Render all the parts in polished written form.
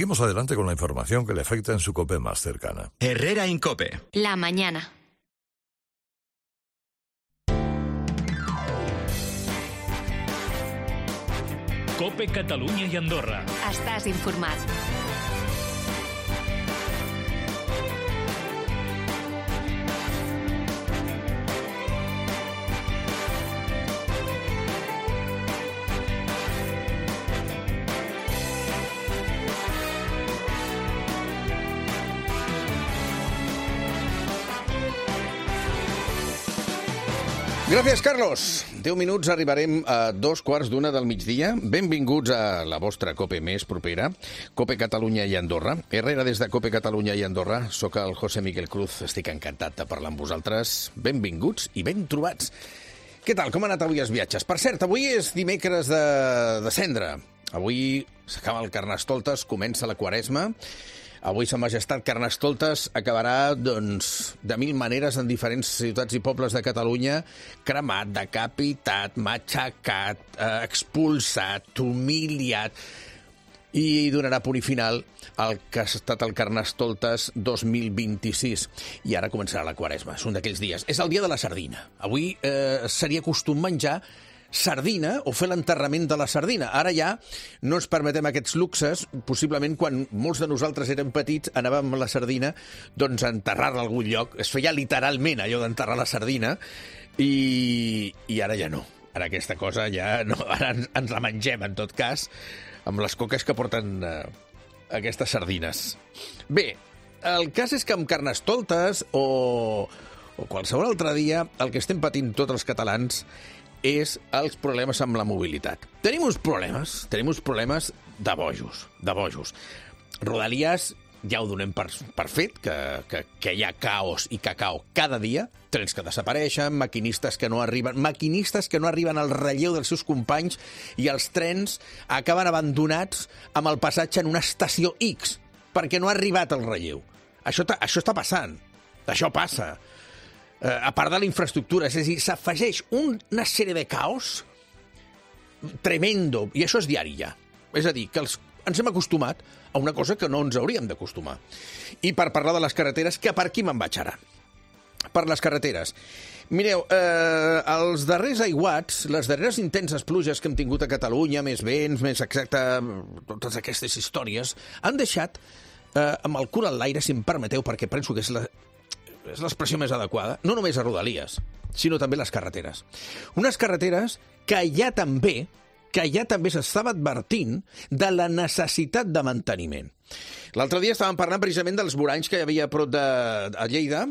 Seguimos adelante con la información que le afecta en su COPE más cercana. Herrera Incope. La mañana. COPE Catalunya i Andorra. Estàs informat. Gràcies, Carlos. 10 minuts arribarem a 2:15 del migdia. Benvinguts a la vostra COPE més propera, COPE Catalunya i Andorra. Herrera des de COPE Catalunya i Andorra. Soc el José Miguel Cruz. Estic encantat de parlar amb vosaltres. Benvinguts i ben trobats. Què tal? Com han anat avui els viatges? Per cert, avui és dimecres de cendra. Avui s'acaba el Carnestoltes, comença la Quaresma. Avui Sa Majestat Carnestoltes acabarà, doncs, de mil maneres en diferents ciutats i pobles de Catalunya, cremat, decapitat, matxacat, expulsat, humiliat, i donarà punt i final al que ha estat el Carnestoltes 2026. I ara començarà la Quaresma, és un d'aquells dies. És el dia de la sardina. Avui seria costum menjar sardina o fer l'enterrament de la sardina. Ara ja no ens permetem aquests luxes. Possiblement quan molts de nosaltres érem petits anàvem a la sardina doncs a enterrar-la a algun lloc. Es feia literalment allò d'enterrar la sardina i ara ja no. Ara aquesta cosa ja no. Ara ens la mengem, en tot cas, amb les coques que porten aquestes sardines. Bé, el cas és que amb Carnestoltes o qualsevol altre dia el que estem patint tots els catalans és els problemes amb la mobilitat. Tenim uns problemes de bojos. Rodalies ja ho donem per fet, que hi ha caos i cacao cada dia, trens que desapareixen, maquinistes que no arriben al relleu dels seus companys i els trens acaben abandonats amb el passatge en una estació X, perquè no ha arribat el relleu. Això està passant. Això passa. A part de la infraestructura, és a dir, s'afegeix una sèrie de caos tremendo, i això és diari ja. És a dir, que ens hem acostumat a una cosa que no ens hauríem d'acostumar. I per parlar de les carreteres, que per aquí me'n vaig ara. Per les carreteres. Mireu, els darrers aiguats, les darreres intenses pluges que hem tingut a Catalunya, més vents, més exacte, totes aquestes històries, han deixat amb el cul en l'aire, si em permeteu, perquè penso que és l'expressió més adequada, no només a Rodalies, sinó també les carreteres. Unes carreteres que ja també s'estava advertint de la necessitat de manteniment. L'altre dia estàvem parlant precisament dels voranys que hi havia a prop de Lleida,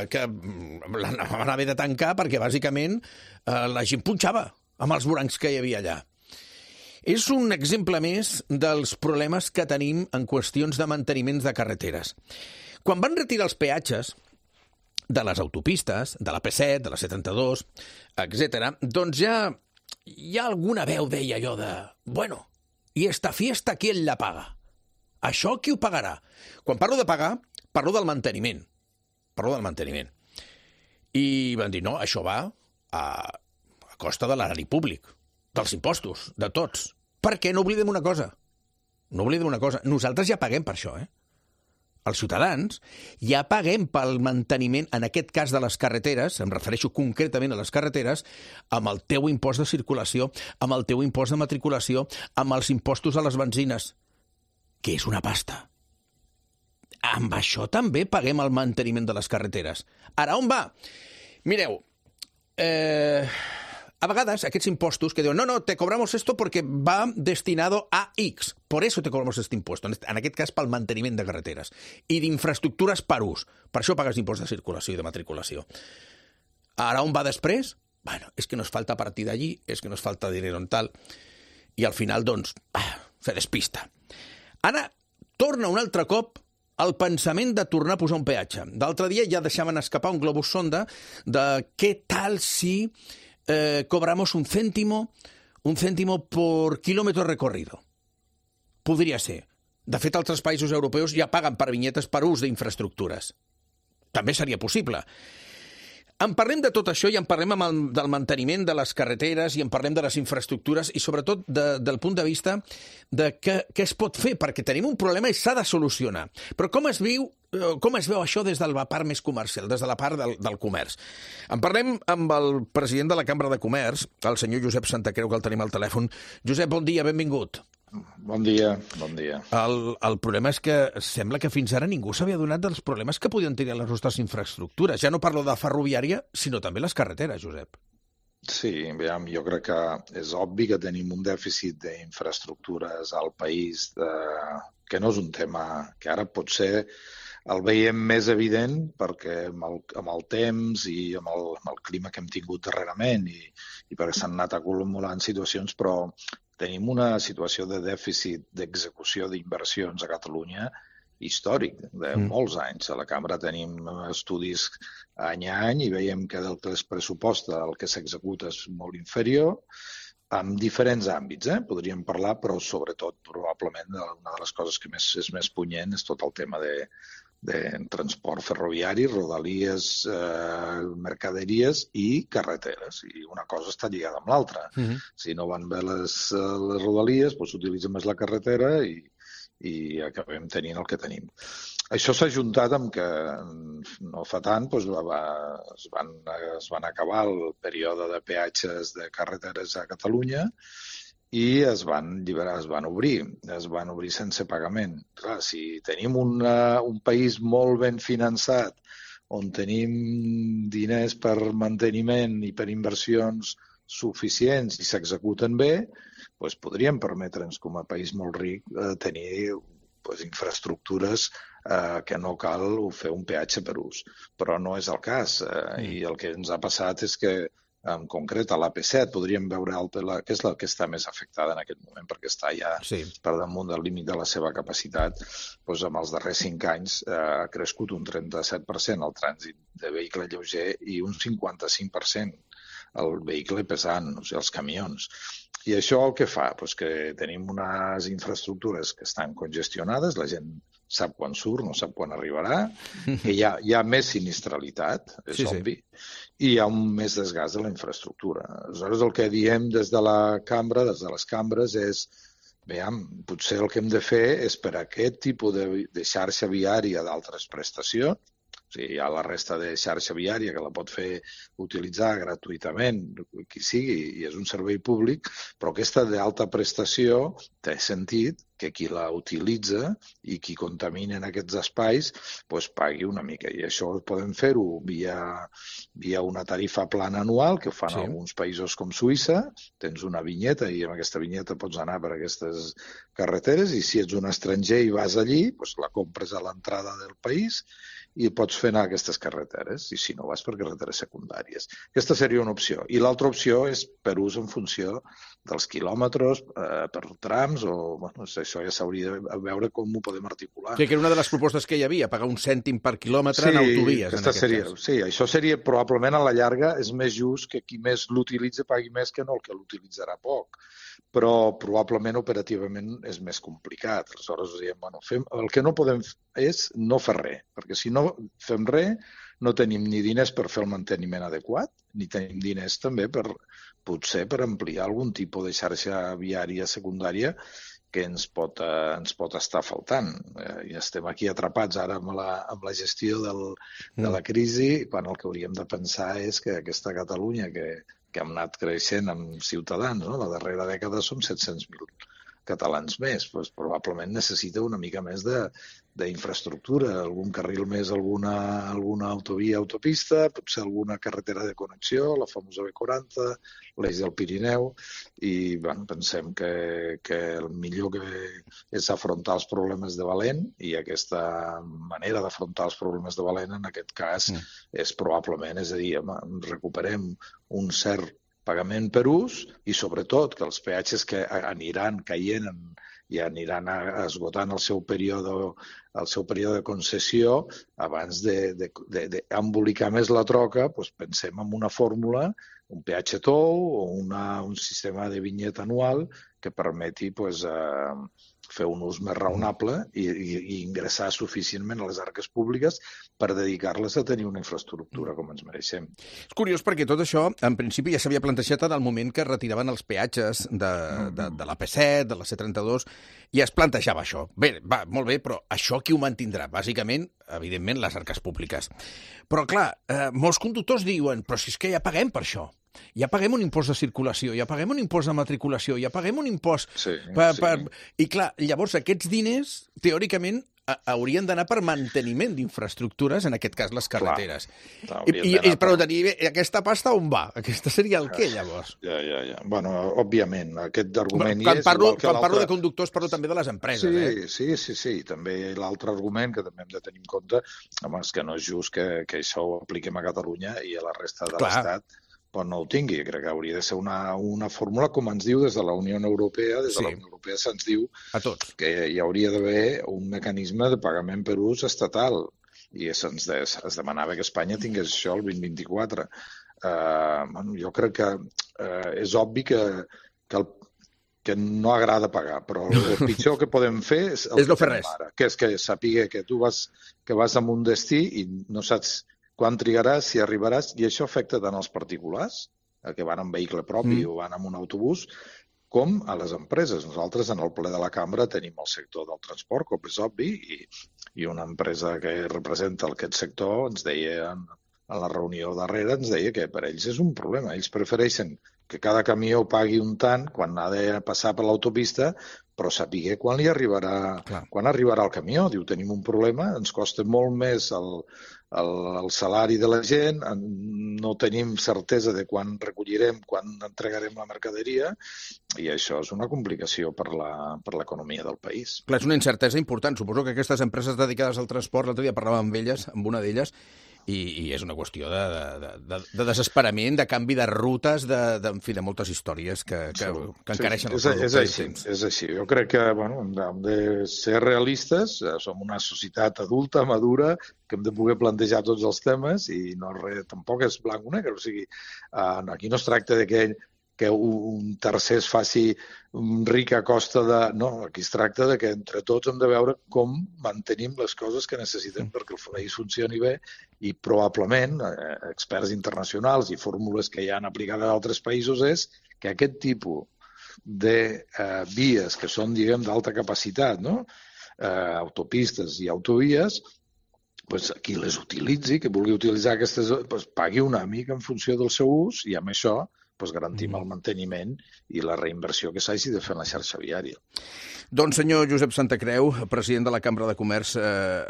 que van haver de tancar perquè bàsicament la gent punxava amb els voranys que hi havia allà. És un exemple més dels problemes que tenim en qüestions de manteniments de carreteres. Quan van retirar els peatges de les autopistes, de la P7, de la C32, etc., doncs ja alguna veu deia allò de bueno, i esta fiesta, ¿quién la paga? Això qui ho pagarà? Quan parlo de pagar, parlo del manteniment. I van dir, no, això va a costa de l'erari públic, dels impostos, de tots. Perquè no oblidem una cosa. Nosaltres ja paguem per això, Els ciutadans ja paguem pel manteniment, en aquest cas de les carreteres, em refereixo concretament a les carreteres, amb el teu impost de circulació, amb el teu impost de matriculació, amb els impostos a les benzines, que és una pasta. Amb això també paguem el manteniment de les carreteres. Ara, on va? Mireu, a vegades aquests impostos que diuen no, te cobramos esto porque va destinado a X, por eso te cobramos este impuesto, en aquest cas pel manteniment de carreteres i d'infraestructures per ús, per això pagues impost de circulació i de matriculació. Ara on va després? Bueno, és que nos falta partida allí, és que nos falta dinero en tal, i al final, doncs, se despista. Ara torna un altre cop el pensament de tornar a posar un peatge. D'altre dia ja deixaven escapar un globus sonda de què tal si cobramos un céntimo por kilómetro recorrido. Podria ser. De fet, altres països europeus ja paguen per vinyetes per ús d'infraestructures. També seria possible. En parlem de tot això i en parlem del manteniment de les carreteres i en parlem de les infraestructures i sobretot del punt de vista de què es pot fer, perquè tenim un problema i s'ha de solucionar. Però com es veu això des de la part més comercial, des de la part del comerç? En parlem amb el president de la Cambra de Comerç, el senyor Josep Santacreu, que el tenim al telèfon. Josep, bon dia, benvingut. Bon dia, bon dia. El problema és que sembla que fins ara ningú s'havia donat dels problemes que podien tenir les nostres infraestructures. Ja no parlo de ferroviària, sinó també les carreteres, Josep. Sí, jo crec que és obvi que tenim un dèficit d'infraestructures al país que no és un tema que ara potser el veiem més evident perquè amb el temps i amb el clima que hem tingut darrerament i perquè s'han anat acumulant situacions, però tenim una situació de dèficit d'execució d'inversions a Catalunya històric, de molts anys. A la Cambra tenim estudis any a any i veiem que del que es pressuposta el que s'executa és molt inferior en diferents àmbits. Podríem parlar, però sobretot probablement una de les coses que és més punyent és tot el tema de transport ferroviari, rodalies, mercaderies i carreteres. I una cosa està lligada amb l'altra. Si no van bé les rodalies, doncs s'utilitza més la carretera i acabem tenint el que tenim. Això s'ha ajuntat amb que no fa tant es van acabar el període de peatges de carreteres a Catalunya i es van obrir sense pagament. Clar, si tenim un país molt ben finançat, on tenim diners per manteniment i per inversions suficients i s'executen bé, doncs podríem permetre'ns, com a país molt ric, tenir infraestructures que no cal fer un peatge per ús. Però no és el cas. I el que ens ha passat és que en concret a l'AP7 podríem veure que és la que està més afectada en aquest moment perquè està ja per damunt del límit de la seva capacitat. Amb els darrers 5 anys ha crescut un 37% el trànsit de vehicle lleuger i un 55% el vehicle pesant, o sigui, els camions. I això el que fa? Que tenim unes infraestructures que estan congestionades, la gent sap quan surt, no sap quan arribarà, que hi ha més sinistralitat, és obvi, i hi ha un més desgast de la infraestructura. Aleshores, el que diem des de la Cambra, des de les cambres, és potser el que hem de fer és per a aquest tipus de xarxa viària d'altres prestacions, o sigui, hi ha la resta de xarxa viària que la pot utilitzar gratuïtament, qui sigui, i és un servei públic, però aquesta d'alta prestació té sentit que qui la utilitza i qui contamina en aquests espais pagui una mica. I això podem fer-ho via una tarifa plana anual, que ho fan alguns països com Suïssa. Tens una vinyeta i amb aquesta vinyeta pots anar per aquestes carreteres i si ets un estranger i vas allí, la compres a l'entrada del país i pots fer anar a aquestes carreteres, i si no vas per carreteres secundàries. Aquesta seria una opció. I l'altra opció és per ús en funció dels quilòmetres, per trams, això ja s'hauria de veure com ho podem articular. Que era una de les propostes que hi havia, pagar un cèntim per quilòmetre en autovies, en aquest cas. Sí, això seria probablement a la llarga és més just que qui més l'utilitza pagui més que no el que l'utilitzarà poc. Però probablement operativament és més complicat. Aleshores diem, el que no podem és no fer res, perquè si no fem res no tenim ni diners per fer el manteniment adequat, ni tenim diners també potser per ampliar algun tipus de xarxa viària secundària que ens pot estar faltant. I estem aquí atrapats ara amb la gestió de la crisi, quan el que hauríem de pensar és que aquesta Catalunya que hem anat creixent amb ciutadans, la darrera dècada som 700.000 catalans més, probablement necessita una mica més d'infraestructura, algun carril més, alguna autovia, autopista, potser alguna carretera de connexió, la famosa B40, l'eix del Pirineu, i pensem que el millor que és afrontar els problemes de valent, i aquesta manera d'afrontar els problemes de valent en aquest cas és probablement, és a dir, recuperem un cert pagament per ús i sobretot que els peatges que aniran caient i aniran esgotant el seu període de concessió abans d'embolicar més la troca, pensem en una fórmula, un peatge tou o un sistema de vinyeta anual que permeti fer un ús més raonable i ingressar suficientment a les arques públiques per dedicar-les a tenir una infraestructura com ens mereixem. És curiós perquè tot això, en principi, ja s'havia plantejat en el moment que retiraven els peatges de l'AP7, de la C32, i es plantejava això. Bé, va, molt bé, però això qui ho mantindrà? Bàsicament, evidentment, les arques públiques. Però, clar, molts conductors diuen, però si és que ja paguem per això. Ja paguem un impost de circulació, ja paguem un impost de matriculació, ja paguem un impost... I, clar, llavors aquests diners, teòricament, haurien d'anar per manteniment d'infraestructures, en aquest cas les carreteres. Però tenir aquesta pasta on va? Aquesta seria el què, llavors? Ja. Bueno, òbviament, aquest argument quan parlo de conductors, parlo també de les empreses. Sí. També l'altre argument que també hem de tenir en compte, home, és que no és just que això ho apliquem a Catalunya i a la resta de l'Estat no ho tingui. Crec que hauria de ser una fórmula, com ens diu des de la Unió Europea. Des de la Unió Europea se'ns diu que hi hauria d'haver un mecanisme de pagament per ús estatal. I es demanava que Espanya tingués això el 2024. Jo crec que és obvi que no agrada pagar, però el pitjor que podem fer és el que fem ara, que és que sàpiga que tu vas a un destí i no saps quan trigaràs, si arribaràs, i això afecta tant als particulars, que van en vehicle propi o van en un autobús, com a les empreses. Nosaltres, en el ple de la cambra, tenim el sector del transport, com és obvi, i una empresa que representa aquest sector ens deia, en la reunió darrere, ens deia que per ells és un problema. Ells prefereixen que cada camió pagui un tant quan ha de passar per l'autopista, però saber quan arribarà el camió. Diu, tenim un problema, ens costa molt més el salari de la gent, no tenim certesa de quan recollirem, quan entregarem la mercaderia, i això és una complicació per l'economia del país. Clar, és una incertesa important. Suposo que aquestes empreses dedicades al transport, l'altre dia parlàvem amb una d'elles, i és una qüestió de desesperament, de canvi de rutes, en fi, de moltes històries que encareixen el producte. És així. Jo crec que hem de ser realistes, som una societat adulta, madura, que hem de poder plantejar tots els temes i tampoc és blanc o negre. O sigui, aquí no es tracta de que un tercer es faci ric a costa de... No, aquí es tracta de que entre tots hem de veure com mantenim les coses que necessitem perquè el país funcioni bé i probablement experts internacionals i fórmules que ja han aplicat a altres països és que aquest tipus de vies que són, diguem, d'alta capacitat, autopistes i autovies, qui les utilitzi, que vulgui utilitzar aquestes, pagui una mica en funció del seu ús i amb això garantim el manteniment i la reinversió que s'hagi de fer en la xarxa viària. Doncs, senyor Josep Santacreu, president de la Cambra de Comerç,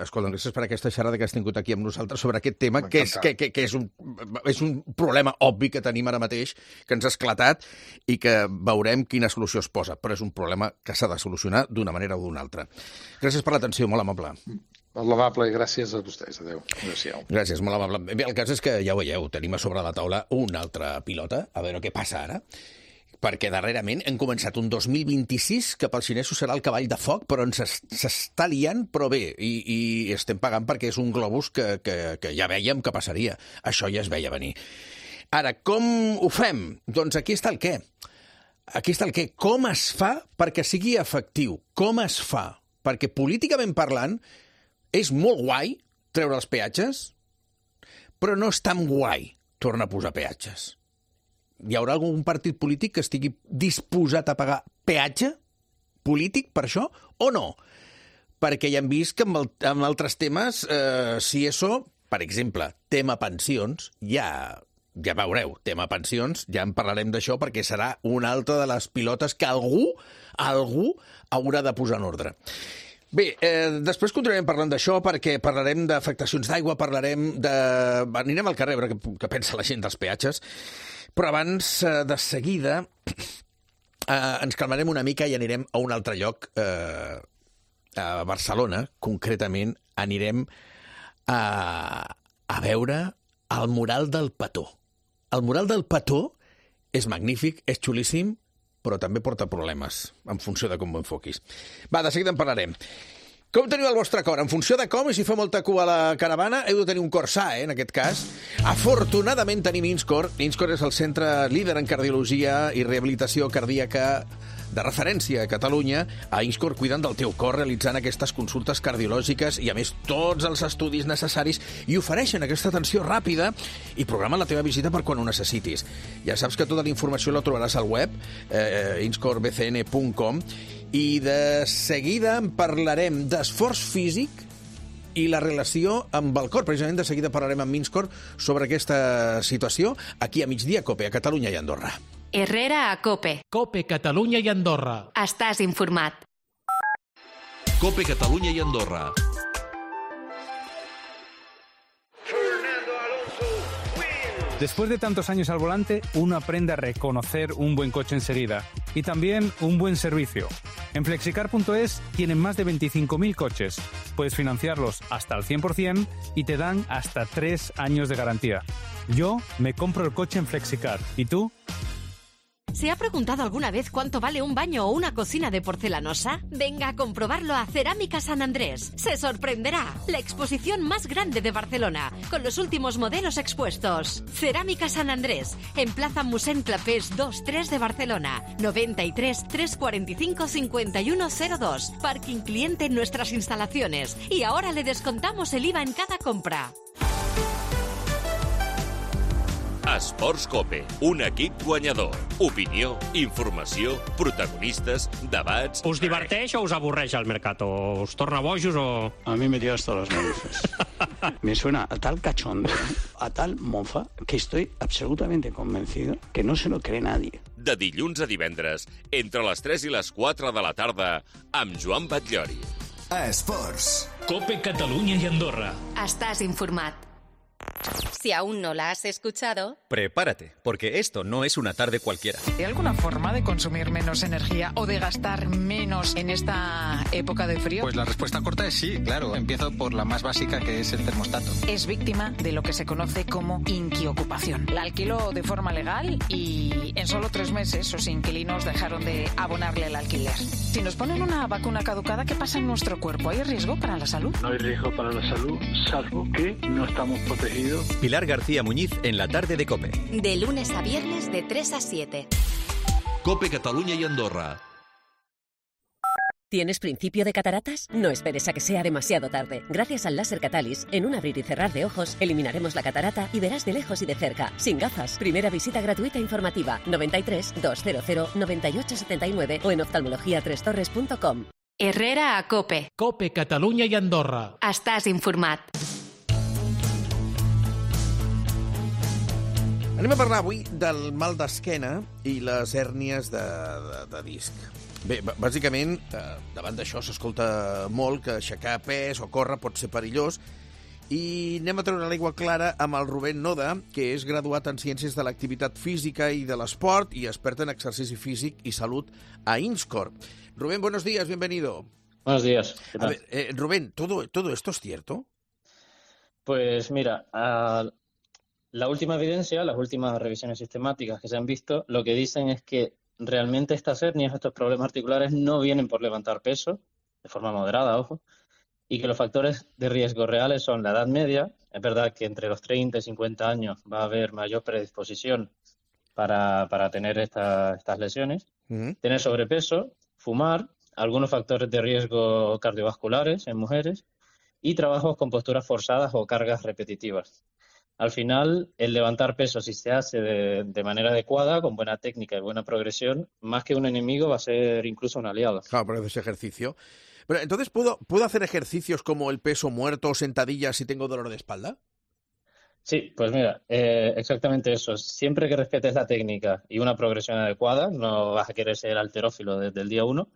escolta, gràcies per aquesta xerrada que has tingut aquí amb nosaltres sobre aquest tema, que és un problema obvi que tenim ara mateix, que ens ha esclatat i que veurem quina solució es posa, però és un problema que s'ha de solucionar d'una manera o d'una altra. Gràcies per l'atenció, molt amable. Molt amable, gràcies a vostès. Adéu. Gràcies, molt amable. Bé, el cas és que, ja ho veieu, tenim a sobre la taula una altra pilota, a veure què passa ara, perquè darrerament hem començat un 2026 que pels xinesos serà el cavall de foc, però s'està liant, però bé, i estem pagant perquè és un globus que ja vèiem que passaria. Això ja es veia venir. Ara, com ho fem? Doncs aquí està el què. Aquí està el què. Com es fa perquè sigui efectiu? Com es fa? Perquè políticament parlant és molt guai treure els peatges, però no és tan guai tornar a posar peatges. Hi haurà algun partit polític que estigui disposat a pagar peatge polític per això o no? Perquè ja hem vist que amb altres temes, si això, per exemple, tema pensions, ja veureu, tema pensions, ja en parlarem d'això perquè serà una altra de les pilotes que algú haurà de posar en ordre. Bé, després continuarem parlant d'això perquè parlarem d'afectacions d'aigua, anirem al carrer a veure què pensa la gent dels peatges, però abans, de seguida, ens calmarem una mica i anirem a un altre lloc, a Barcelona, concretament anirem a veure el mural del Petó. El mural del Petó és magnífic, és xulíssim, però també porta problemes, en funció de com ho enfoquis. Va, de seguida en parlarem. Com teniu el vostre cor? En funció de com, i si fa molta cua a la caravana, heu de tenir un cor sa, en aquest cas. Afortunadament tenim Inscor. Inscor és el centre líder en cardiologia i rehabilitació cardíaca de referència a Catalunya, a Inscor cuiden del teu cor realitzant aquestes consultes cardiològiques i, a més, tots els estudis necessaris i ofereixen aquesta atenció ràpida i programen la teva visita per quan ho necessitis. Ja saps que tota la informació la trobaràs al web, inscorbcn.com, i de seguida en parlarem d'esforç físic i la relació amb el cor. Precisament de seguida parlarem amb Inscor sobre aquesta situació aquí a Migdia Cope, a Catalunya i Andorra. Herrera a Cope. Cope Catalunya i Andorra. Estàs informat. Cope Catalunya i Andorra. Después de tantos años al volante, uno aprende a reconocer un buen coche enseguida y también un buen servicio. En Flexicar.es tienen más de 25.000 coches. Puedes financiarlos hasta el 100% y te dan hasta 3 años de garantía. Yo me compro el coche en Flexicar. ¿Y tú? ¿Se ha preguntado alguna vez cuánto vale un baño o una cocina de porcelanosa? Venga a comprobarlo a Cerámica San Andrés. Se sorprenderá. La exposición más grande de Barcelona, con los últimos modelos expuestos. Cerámica San Andrés, en Plaza Mossèn Clapés 2-3 de Barcelona. 93 345 5102. Parking cliente en nuestras instalaciones. Y ahora le descontamos el IVA en cada compra. Esports Cope, un equip guanyador. Opinió, informació, protagonistes, debats... ¿Us diverteix o us avorreix el Mercato? ¿Us torna bojos o...? A mí me tiene hasta las narices. Me suena a tal cachondo, a tal mofa, que estoy absolutamente convencido que no se lo cree nadie. De dilluns a divendres, entre les 3 i les 4 de la tarda, amb Joan Batllori. Esports. Cope Catalunya i Andorra. Estás informat. Si aún no la has escuchado... Prepárate, porque esto no es una tarde cualquiera. ¿Hay alguna forma de consumir menos energía o de gastar menos en esta época de frío? Pues la respuesta corta es sí, claro. Empiezo por la más básica, que es el termostato. Es víctima de lo que se conoce como inquiocupación. La alquiló de forma legal y en solo 3 meses sus inquilinos dejaron de abonarle el alquiler. Si nos ponen una vacuna caducada, ¿qué pasa en nuestro cuerpo? ¿Hay riesgo para la salud? No hay riesgo para la salud, salvo que no estamos protegidos. Pilar García Muñiz en la tarde de Cope. De lunes a viernes de 3 a 7. Cope Catalunya i Andorra. ¿Tienes principio de cataratas? No esperes a que sea demasiado tarde. Gracias al láser Catalyst, en un abrir y cerrar de ojos, eliminaremos la catarata y verás de lejos y de cerca, sin gafas. Primera visita gratuita informativa, 93 200 9879 o en oftalmologia3torres.com. Herrera a Cope. Cope Catalunya i Andorra. Estàs informat. Anem a parlar avui del mal d'esquena i les hèrnies de disc. Bé, bàsicament, davant d'això s'escolta molt que aixecar pes o córrer pot ser perillós i anem a treure l'aigua clara amb el Rubén Noda, que és graduat en Ciències de l'Activitat Física i de l'Esport i expert en ejercici físic y salud a Inscor. Rubén, buenos días, bienvenido. Buenos días. ¿Qué tal? A ver, Rubén, ¿todo esto es cierto? Pues mira, la última evidencia, las últimas revisiones sistemáticas que se han visto, lo que dicen es que realmente estas hernias, estos problemas articulares, no vienen por levantar peso, de forma moderada, ojo, y que los factores de riesgo reales son la edad media. Es verdad que entre los 30 y 50 años va a haber mayor predisposición para tener estas lesiones, tener sobrepeso, fumar, algunos factores de riesgo cardiovasculares en mujeres y trabajos con posturas forzadas o cargas repetitivas. Al final, el levantar peso, si se hace de manera adecuada, con buena técnica y buena progresión, más que un enemigo va a ser incluso un aliado. Claro, pero haces ejercicio. Pero entonces, ¿puedo hacer ejercicios como el peso muerto o sentadillas si tengo dolor de espalda? Sí, pues mira, exactamente eso. Siempre que respetes la técnica y una progresión adecuada, no vas a querer ser halterófilo desde el día 1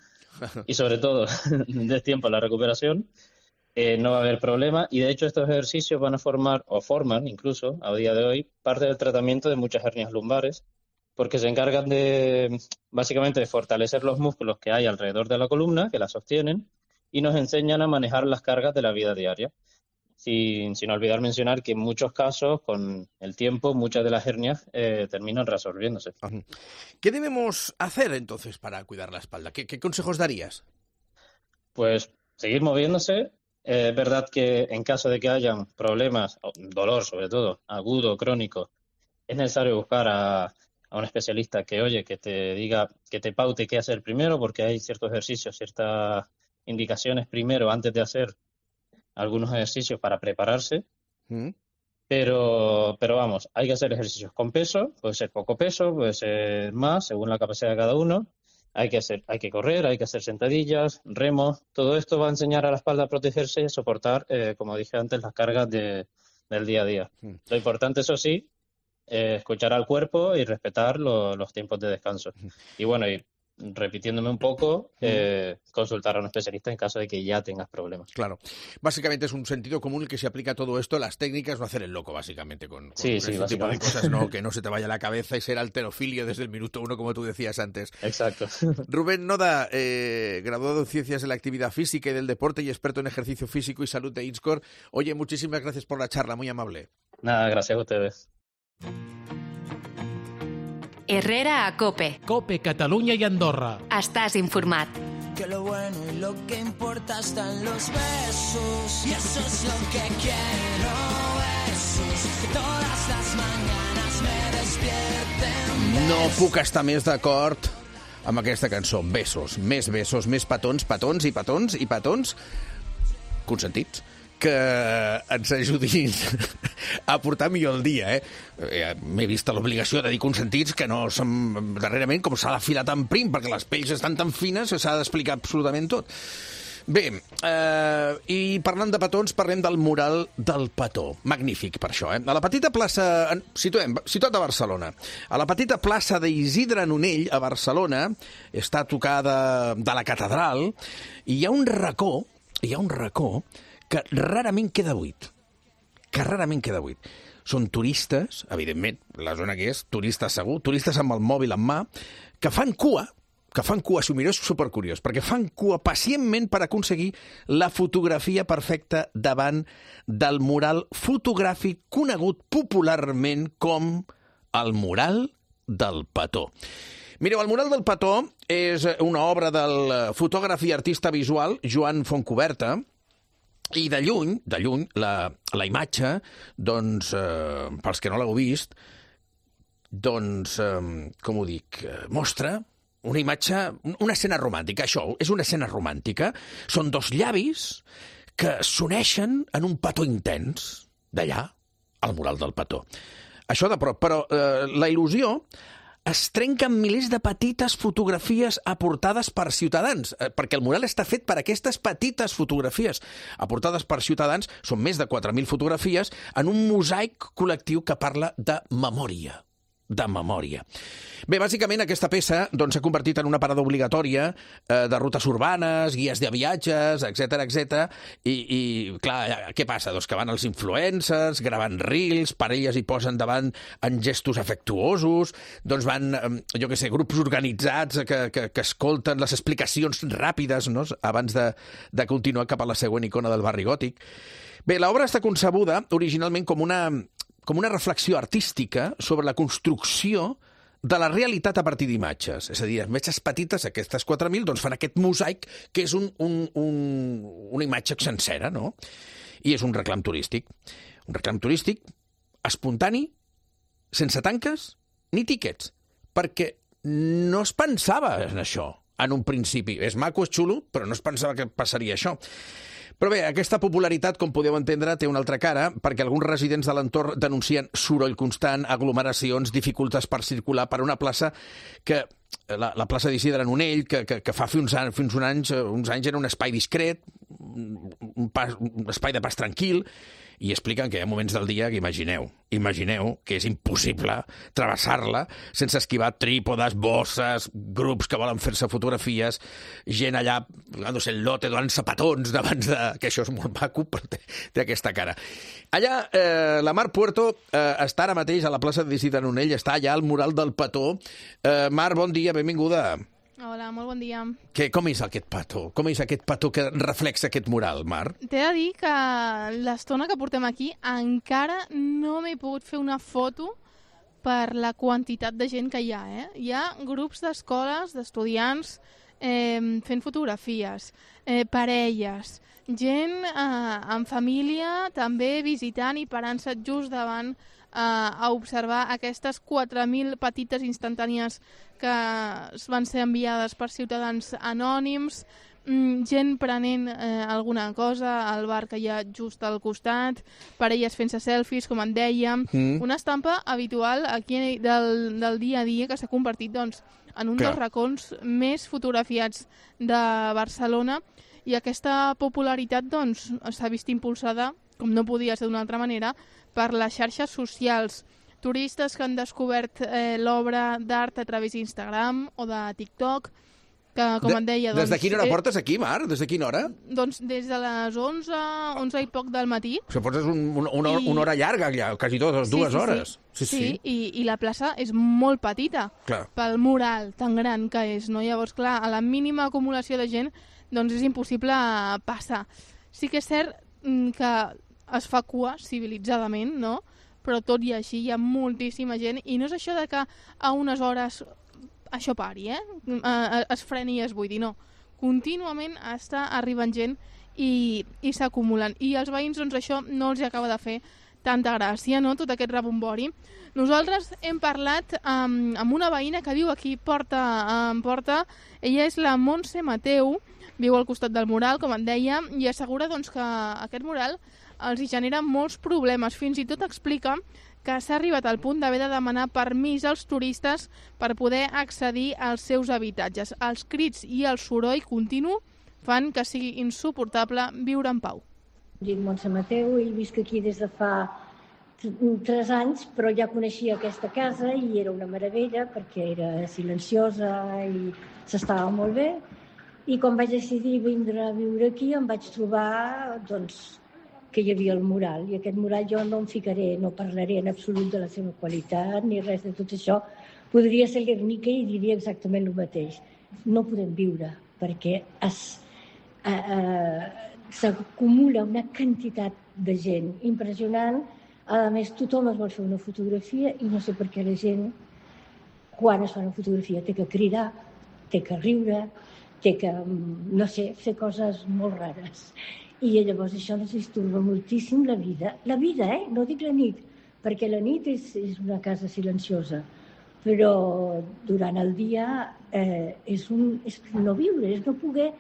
y sobre todo des tiempo a la recuperación, no va a haber problema, y de hecho estos ejercicios van a formar, o forman incluso a día de hoy, parte del tratamiento de muchas hernias lumbares, porque se encargan básicamente de fortalecer los músculos que hay alrededor de la columna, que la sostienen, y nos enseñan a manejar las cargas de la vida diaria. Sin olvidar mencionar que en muchos casos, con el tiempo, muchas de las hernias terminan resolviéndose. ¿Qué debemos hacer entonces para cuidar la espalda? ¿Qué consejos darías? Pues seguir moviéndose. Es verdad que en caso de que hayan problemas, dolor sobre todo, agudo, crónico, es necesario buscar a a un especialista que, oye, que te diga, que te paute qué hacer primero, porque hay ciertos ejercicios, ciertas indicaciones primero antes de hacer algunos ejercicios para prepararse. Pero vamos, hay que hacer ejercicios con peso, puede ser poco peso, puede ser más, según la capacidad de cada uno. Hay que correr, hay que hacer sentadillas, remos. Todo esto va a enseñar a la espalda a protegerse y a soportar, como dije antes, las cargas del día a día. Lo importante, eso sí, escuchar al cuerpo y respetar los tiempos de descanso. Y bueno, y repitiéndome un poco, consultar a un especialista en caso de que ya tengas problemas. Claro. Básicamente es un sentido común el que se aplica a todo esto, las técnicas, no hacer el loco, básicamente, con este tipo de cosas, ¿no? Que no se te vaya la cabeza y ser halterofilio desde el minuto 1, como tú decías antes. Exacto. Rubén Noda, graduado en Ciencias de la Actividad Física y del Deporte y experto en ejercicio físico y salud de INSCOR. Oye, muchísimas gracias por la charla, muy amable. Nada, gracias a ustedes. Herrera a COPE. COPE, Catalunya i Andorra. Estàs informat. Que lo bueno y lo que importa están los besos. Y eso es lo que quiero, besos. Que todas las mañanas me despierten. No puc estar més d'acord amb aquesta cançó. Besos, més petons, petons i petons i petons consentits que ens ajudin a portar millor el dia, M'he vist l'obligació de dir consentits que no som darrerament com s'ha d'afilar tan prim, perquè les pells estan tan fines que s'ha d'explicar absolutament tot. Bé, i parlant de petons, parlem del mural del petó. Magnífic, per això, A la petita plaça... Situat a Barcelona. A la petita plaça d'Isidre Nonell, a Barcelona, està tocada de la catedral, i hi ha un racó que rarament queda buit. Són turistes, evidentment, la zona que és, turistes segur, turistes amb el mòbil en mà, que fan cua, s'ho mireu, és supercuriós, perquè fan cua pacientment per aconseguir la fotografia perfecta davant del mural fotogràfic conegut popularment com el mural del petó. Mireu, el mural del petó és una obra del fotògraf i artista visual Joan Fontcuberta, i de lluny, la imatge, doncs, pels que no l'heu vist, doncs, com ho dic, mostra una imatge, una escena romàntica. Això és una escena romàntica. Són dos llavis que s'uneixen en un petó intens, d'allà, al mural del petó. Això de prop, però la il·lusió es trenca en milers de petites fotografies aportades per ciutadans, perquè el mural està fet per aquestes petites fotografies aportades per ciutadans. Són més de 4.000 fotografies en un mosaic col·lectiu que parla de memòria. Bé, bàsicament aquesta peça s'ha convertit en una parada obligatòria de rutes urbanes, guies de viatges, etc. I clar, què passa? Doncs que van els influencers, gravant reels, parelles hi posen davant en gestos afectuosos, doncs van, jo què sé, grups organitzats que escolten les explicacions ràpides, no?, abans de continuar cap a la següent icona del barri gòtic. Bé, l'obra està concebuda originalment com una reflexió artística sobre la construcció de la realitat a partir d'imatges. És a dir, imatges petites, aquestes 4.000, doncs fan aquest mosaic que és una imatge sencera, no? I és un reclam turístic. Un reclam turístic espontani, sense tanques ni tíquets, perquè no es pensava en això en un principi. És maco, és xulo, però no es pensava que passaria això. Però bé, aquesta popularitat, com podeu entendre, té una altra cara, perquè alguns residents de l'entorn denuncien soroll constant, aglomeracions, dificultats per circular per una plaça que, la plaça d'Isidre Nonell, que fa uns anys era un espai discret, un espai de pas tranquil, i expliquen que hi ha moments del dia que imagineu que és impossible travessar-la sense esquivar trípodes, bosses, grups que volen fer-se fotografies, gent allà, no sé, el lote donant-se petons davant que això és molt maco, però té aquesta cara. Allà, la Mar Puerto està ara mateix a la plaça d'Isidre Nonell, està allà al mural del petó. Mar, bon dia, benvinguda. Hola, molt bon dia. Com és aquest petó? Com és aquest petó que reflexa aquest mural, Mar? T'he de dir que l'estona que portem aquí encara no m'he pogut fer una foto per la quantitat de gent que hi ha. Hi ha grups d'escoles, d'estudiants, fent fotografies, parelles, gent en família també visitant i parant-se just davant a observar aquestes 4.000 petites instantànies que van ser enviades per ciutadans anònims, gent prenent alguna cosa al bar que hi ha just al costat, parelles fent-se selfies, com en dèiem, una estampa habitual aquí del dia a dia que s'ha convertit doncs, en un dels racons més fotografiats de Barcelona, i aquesta popularitat doncs, s'ha vist impulsada, com no podia ser d'una altra manera, per les xarxes socials. Turistes que han descobert l'obra d'art a través d'Instagram o de TikTok, que, com en deia... Des de quina hora portes aquí, Mar? Des de quina hora? Doncs des de les 11 i poc del matí. Això portes una hora llarga, allà, quasi dues hores. Sí, i la plaça és molt petita, pel mural tan gran que és, no? Llavors, clar, a la mínima acumulació de gent, doncs és impossible passar. Sí que és cert que es fa cua civilitzadament, no? Però tot i així hi ha moltíssima gent, i no és això de que a unes hores això pari, es freni i es buidi, no. Contínuament està arribant gent i s'acumulen. I als veïns, doncs, això no els acaba de fer tanta gràcia, no?, tot aquest rebombori. Nosaltres hem parlat amb una veïna que viu aquí porta en porta. Ella és la Montse Mateu, viu al costat del mural, com en deia, i assegura doncs, que aquest mural els genera molts problemes. Fins i tot explica que s'ha arribat al punt d'haver de demanar permís als turistes per poder accedir als seus habitatges. Els crits i el soroll continu fan que sigui insuportable viure en pau. Dic Montse Mateu i visc aquí des de fa 3 anys, però ja coneixia aquesta casa i era una meravella perquè era silenciosa i s'estava molt bé. I quan vaig decidir vindre a viure aquí em vaig trobar doncs, que hi havia el mural, i aquest mural jo no em ficaré, no parlaré en absolut de la seva qualitat ni res de tot això. Podria ser Guernica i diria exactament el mateix. No podem viure perquè s'acumula una quantitat de gent impressionant. A més, tothom es vol fer una fotografia i no sé per què la gent, quan es fa una fotografia, té que cridar, té que riure, té que, no sé, fer coses molt rares. I llavors això ens disturba moltíssim la vida. La vida, no dic la nit, perquè la nit és una casa silenciosa, però durant el dia és no viure, és no poder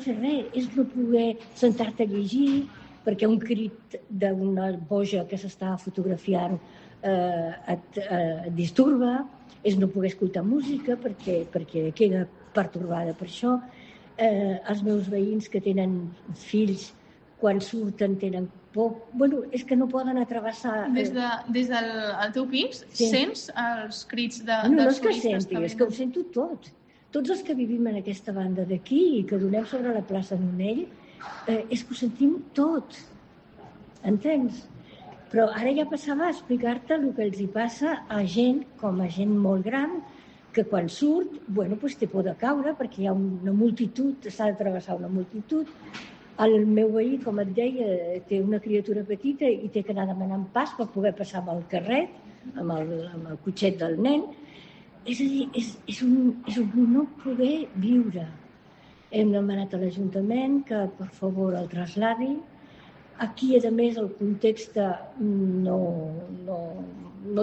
fer res, és no poder sentar-te a llegir, perquè un crit d'una boja que s'està fotografiant et disturba, és no poder escoltar música perquè queda pertorbada per això. Els meus veïns que tenen fills, quan surten tenen por. Bueno, és que no poden atravessar... Des del teu pis sents els crits dels turistes? No és que senti, és que ho sento tot. Tots els que vivim en aquesta banda d'aquí i que donem sobre la plaça Nonell, és que ho sentim tot. Entens? Però ara ja passava a explicar-te el que els hi passa a gent, com a gent molt gran, que quan surt, té por de caure perquè hi ha una multitud, s'ha de travessar una multitud. El meu veí, com et deia, té una criatura petita i té que anar demanant pas per poder passar amb el carret, amb el cotxet del nen. És a dir, és un no poder viure. Hem demanat a l'Ajuntament que, per favor, el trasladi. Aquí, a més, el context no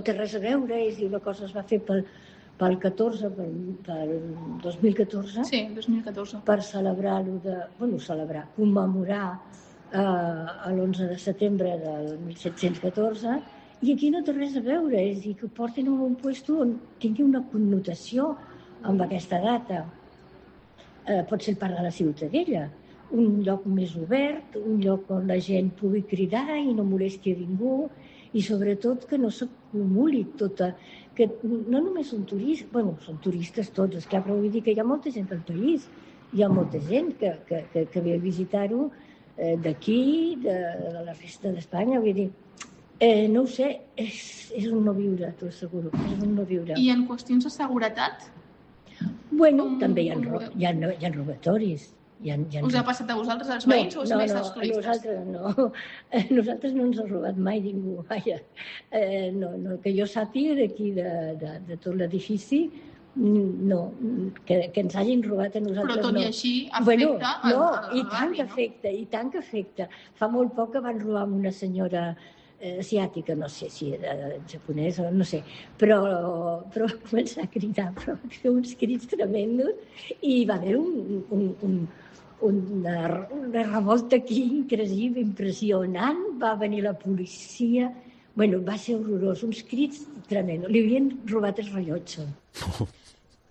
té res a veure, és a dir, una cosa es va fer pel 2014. Sí, 2014. Per commemorar l'11 de setembre del 1714, i aquí no té res a veure, és a dir, que portin a un lloc on tingui una connotació amb aquesta data. Pot ser part de la Ciutadella, un lloc més obert, un lloc on la gent pugui cridar i no molesti a ningú, i sobretot que no s'acumuli tota... que no només són turistes, són turistes tots, esclar, però vull dir que hi ha molta gent al país, hi ha molta gent que ve a visitar-ho d'aquí, de la resta d'Espanya, vull dir, no ho sé, és un no viure, t'ho asseguro, és un no viure. I en qüestions de seguretat? També hi ha robatoris. Us ha passat a vosaltres, als veïns, o és més als turistes? Nosaltres no ens ha robat mai ningú, vaja. Que jo sàpiga d'aquí, de tot l'edifici, No, que ens hagin robat a nosaltres. Però tot i així afecta i tant que afecta. Fa molt poc que van robar amb una senyora asiàtica, no sé si era japonesa, no sé, però va començar a cridar, però va fer uns crits tremendos i va haver una revolta aquí increïble, impressionant, va venir la policia, va ser horrorós, uns crits tremendos, li havien robat el rellotge.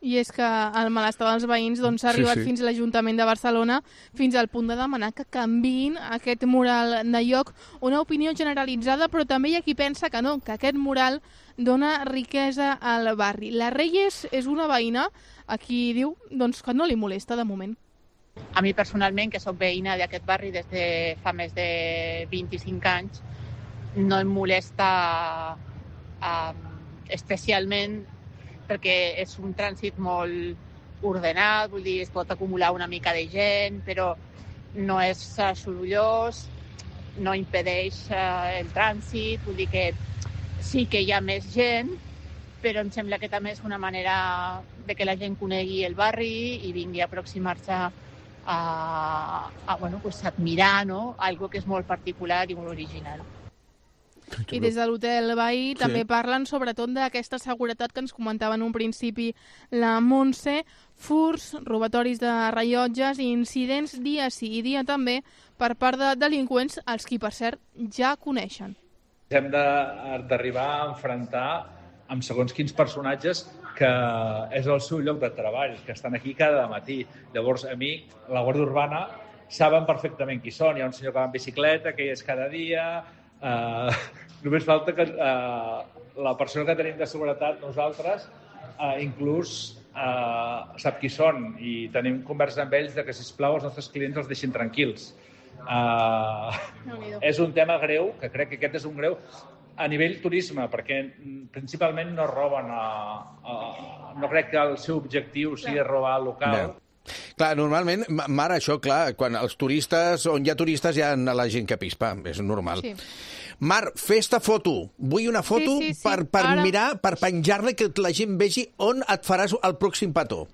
I és que el malestar dels veïns s'ha arribat fins a l'Ajuntament de Barcelona, fins al punt de demanar que canviïn aquest mural de lloc. Una opinió generalitzada, però també hi ha qui pensa que no, que aquest mural dona riquesa al barri. La Reyes és una veïna a qui diu que no li molesta de moment. A mi personalment, que soc veïna d'aquest barri des de fa més de 25 anys, no em molesta especialment perquè és un trànsit molt ordenat, vull dir, es pot acumular una mica de gent, però no és sorollós, no impedeix el trànsit, vull dir que sí que hi ha més gent, però em sembla que també és una manera de que la gent conegui el barri i vingui a aproximar-se a admirar, no? Algo que és molt particular i molt original. I des de l'hotel veí també parlen sobretot d'aquesta seguretat que ens comentava en un principi la Montse, furts, robatoris de rellotges i incidents dia sí i dia també per part de delinqüents, els qui per cert ja coneixen. Hem d'arribar a enfrontar amb segons quins personatges que és el seu lloc de treball, que estan aquí cada matí. Llavors, a mi, la Guàrdia Urbana, saben perfectament qui són. Hi ha un senyor que va en bicicleta, que hi és cada dia. Només falta que la persona que tenim de seguretat, nosaltres, inclús sap qui són i tenim conversa amb ells de que, sisplau, els nostres clients els deixin tranquils. És un tema greu, que crec que aquest és un greu, a nivell turisme, perquè principalment no roben, no crec que el seu objectiu sigui robar el local. Clar, normalment, Mar, això, clar, quan els turistes, on hi ha turistes, hi ha la gent que pispa, és normal. Sí. Mar, fes-te foto. Vull una foto per mirar, per penjar-la, que la gent vegi on et faràs el pròxim petó.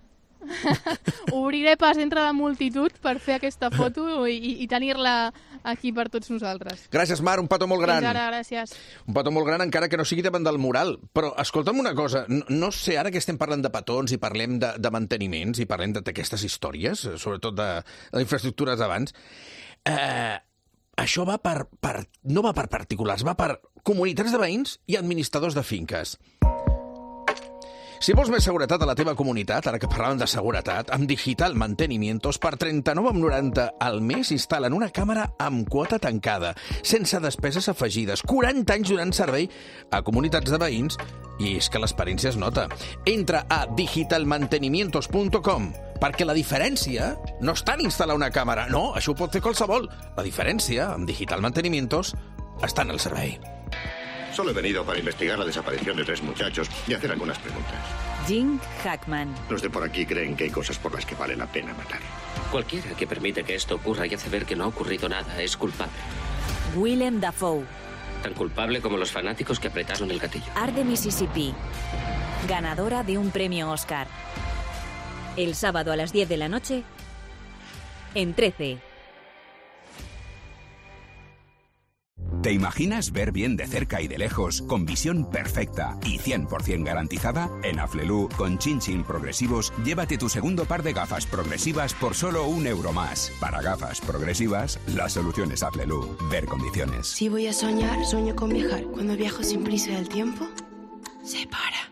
Obriré pas entre la multitud per fer aquesta foto i tenir-la aquí per tots nosaltres. Gràcies, Mar, un petó molt gran. Fins ara, gràcies. Un petó molt gran, encara que no sigui davant del mural. Però escolta'm una cosa, no sé, ara que estem parlant de petons i parlem de manteniments i parlem d'aquestes històries, sobretot de infraestructures d'abans, això no va per particulars, va per comunitats de veïns i administradors de finques. Si vols més seguretat a la teva comunitat, ara que parlàvem de seguretat, amb Digital Mantenimientos, per 39,90 al mes instal·len una càmera amb quota tancada, sense despeses afegides, 40 anys donant servei a comunitats de veïns, i és que l'experiència es nota. Entra a digitalmantenimientos.com, perquè la diferència no està en instal·lar una càmera, no, això ho pot fer qualsevol. La diferència, amb Digital Mantenimientos, està en el servei. Solo he venido para investigar la desaparición de 3 muchachos y hacer algunas preguntas. Jim Hackman. Los de por aquí creen que hay cosas por las que vale la pena matar. Cualquiera que permite que esto ocurra y hace ver que no ha ocurrido nada es culpable. Willem Dafoe. Tan culpable como los fanáticos que apretaron el gatillo. Art de Mississippi. Ganadora de un premio Oscar. El sábado a las 10 de la noche en 13. ¿Te imaginas ver bien de cerca y de lejos, con visión perfecta y 100% garantizada? En Aflelu, con Chin Chin Progresivos, llévate tu segundo par de gafas progresivas por solo €1 más. Para gafas progresivas, la solución es Aflelu. Ver condiciones. Si voy a soñar, sueño con viajar. Cuando viajo sin prisa del tiempo, se para.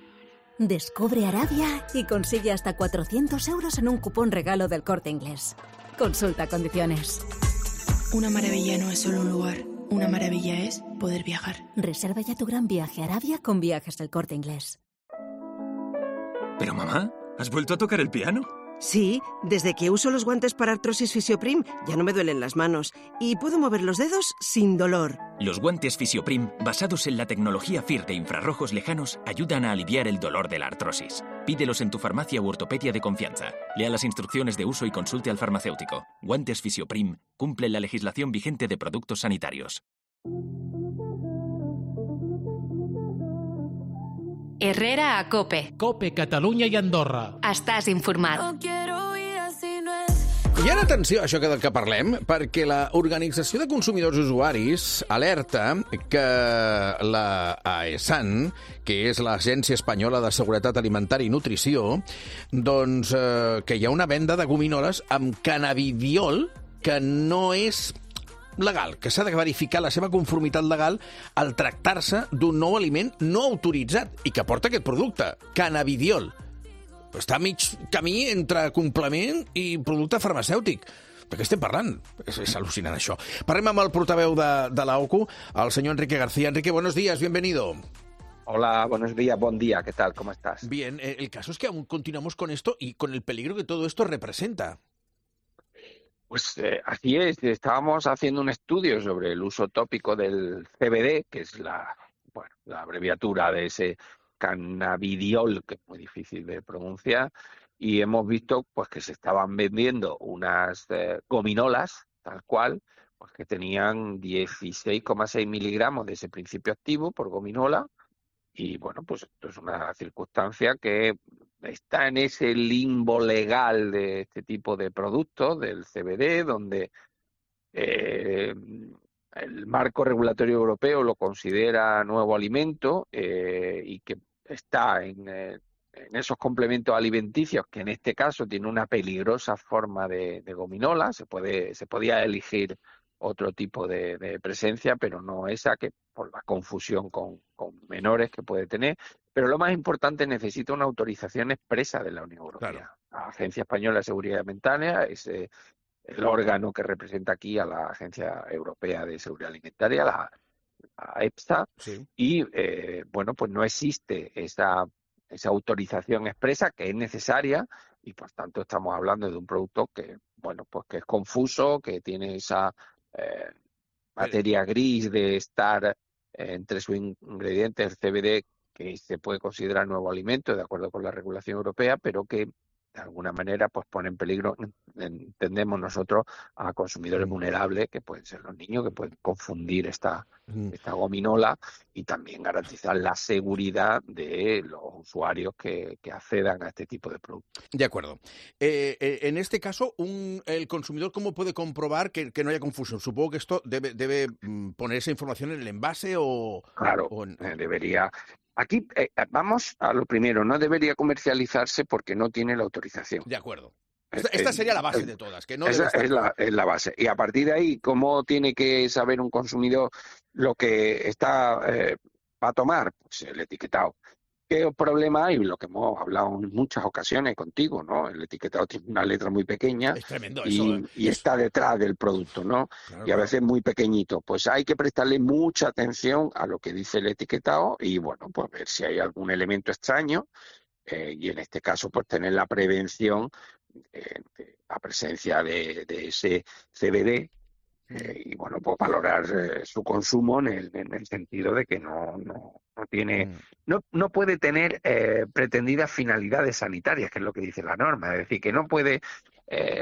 Descubre Arabia y consigue hasta 400 € en un cupón regalo del Corte Inglés. Consulta condiciones. Una maravilla no es solo un lugar. Una maravilla es poder viajar. Reserva ya tu gran viaje a Arabia con Viajes del Corte Inglés. Pero mamá, ¿has vuelto a tocar el piano? Sí, desde que uso los guantes para artrosis Fisioprim ya no me duelen las manos y puedo mover los dedos sin dolor. Los guantes Fisioprim, basados en la tecnología FIR de infrarrojos lejanos, ayudan a aliviar el dolor de la artrosis. Pídelos en tu farmacia u ortopedia de confianza. Lea las instrucciones de uso y consulte al farmacéutico. Guantes Fisioprim cumplen la legislación vigente de productos sanitarios. Herrera a COPE. COPE, Catalunya i Andorra. Estàs informat. I ara atenció a això del que parlem, perquè la Organització de Consumidors Usuaris alerta que la AESAN, que és l'Agència Espanyola de Seguretat Alimentària i Nutrició, doncs que hi ha una venda de gominoles amb cannabidiol que no és legal, que s'ha de verificar la seva conformitat legal al tractar-se d'un nou aliment no autoritzat i que porta aquest producte, cannabidiol. Està a mig camí entre complement i producte farmacèutic. De què estem parlant? És al·lucinant, això. Parlem amb el portaveu de la OCU, el senyor Enrique García. Enrique, buenos días, bienvenido. Hola, buenos días, buen día, ¿qué tal? ¿Cómo estás? Bien, el caso es que aún continuamos con esto y con el peligro que todo esto representa. Pues así es, estábamos haciendo un estudio sobre el uso tópico del CBD, que es la abreviatura de ese cannabidiol, que es muy difícil de pronunciar, y hemos visto pues que se estaban vendiendo unas gominolas, tal cual, pues que tenían 16,6 miligramos de ese principio activo por gominola, y bueno, pues esto es una circunstancia que está en ese limbo legal de este tipo de productos, del CBD, donde el marco regulatorio europeo lo considera nuevo alimento y que está en esos complementos alimenticios, que en este caso tiene una peligrosa forma de gominola. Se podía elegir otro tipo de presencia, pero no esa, que por la confusión con menores que puede tener. Pero lo más importante, necesita una autorización expresa de la Unión Europea. Claro. La Agencia Española de Seguridad Alimentaria es el órgano que representa aquí a la Agencia Europea de Seguridad Alimentaria, la EFSA, sí. Y bueno, pues no existe esa autorización expresa, que es necesaria, y por tanto estamos hablando de un producto que, bueno, pues que es confuso, que tiene esa materia gris de estar entre sus ingredientes, el CBD, que se puede considerar nuevo alimento de acuerdo con la regulación europea, pero que de alguna manera pues pone en peligro, entendemos nosotros, a consumidores vulnerables, que pueden ser los niños, que pueden confundir esta gominola, y también garantizar la seguridad de los usuarios que accedan a este tipo de productos. De acuerdo. En este caso, el consumidor, ¿cómo puede comprobar que no haya confusión? Supongo que esto debe poner esa información en el envase o... Claro, debería... Aquí vamos a lo primero, no debería comercializarse porque no tiene la autorización. De acuerdo. Esta sería la base de todas. Que no esa es la base. Y a partir de ahí, ¿cómo tiene que saber un consumidor lo que está va a tomar? Pues el etiquetado. ¿Qué problema hay? Lo que hemos hablado en muchas ocasiones contigo, ¿no? El etiquetado tiene una letra muy pequeña. Es tremendo y está detrás del producto, ¿no? Claro, y a veces muy pequeñito. Pues hay que prestarle mucha atención a lo que dice el etiquetado y, bueno, pues ver si hay algún elemento extraño y en este caso, pues tener la prevención de la presencia de ese CBD y, bueno, pues valorar su consumo en el sentido de que no puede tener pretendidas finalidades sanitarias, que es lo que dice la norma. Es decir, que no puede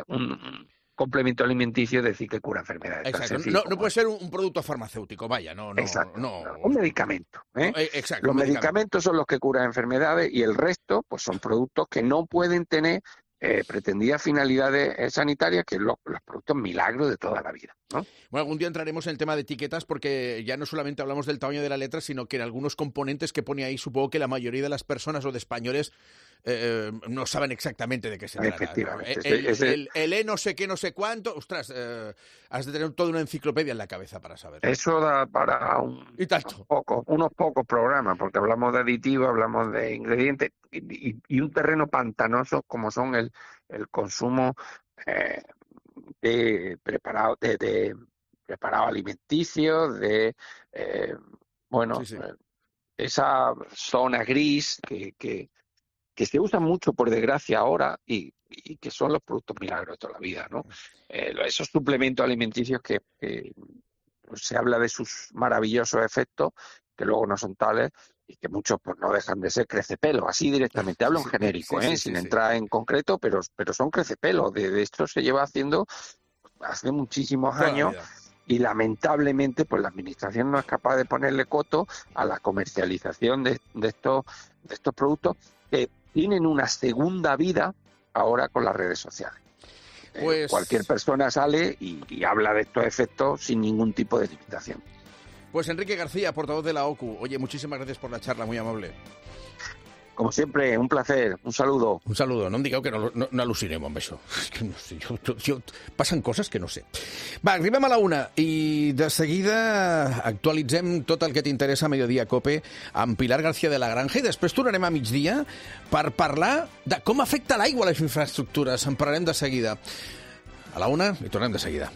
un complemento alimenticio decir que cura enfermedades. Exacto. No puede ser un producto farmacéutico, vaya, no. Un medicamento. Exacto. Los medicamentos son los que curan enfermedades y el resto pues son productos que no pueden tener pretendidas finalidades sanitarias, que es los productos milagros de toda la vida, ¿no? Bueno, algún día entraremos en el tema de etiquetas, porque ya no solamente hablamos del tamaño de la letra, sino que en algunos componentes que pone ahí, supongo que la mayoría de las personas o de españoles no saben exactamente de qué se trata. Efectivamente. El E no sé qué, no sé cuánto, ostras, has de tener toda una enciclopedia en la cabeza para saber. Eso da para unos pocos programas, porque hablamos de aditivos, hablamos de ingredientes y un terreno pantanoso como son el consumo de preparado alimenticios, esa zona gris que se usa mucho, por desgracia, ahora y que son los productos milagros de toda la vida, ¿no? Esos suplementos alimenticios que se habla de sus maravillosos efectos, que luego no son tales y que muchos pues no dejan de ser crecepelos, así directamente. Hablo en genérico, sin entrar en concreto, pero son crecepelos. De esto se lleva haciendo hace muchísimos años y lamentablemente pues la administración no es capaz de ponerle coto a la comercialización de estos productos que tienen una segunda vida ahora con las redes sociales. Pues... cualquier persona sale y habla de estos efectos sin ningún tipo de limitación. Pues Enrique García, portavoz de la OCU. Oye, muchísimas gracias por la charla, muy amable. Como sempre, un placer, un saludo. Un saludo, no em digueu que no al·lucinem amb això. Que no sé, passen coses que no sé. Va, arribem a la 1 i de seguida actualitzem tot el que t'interessa a Mediodía Cope amb Pilar García de la Granja i després tornarem a migdia per parlar de com afecta l'aigua a les infraestructures. En parlarem de seguida. A la 1 i tornem de seguida.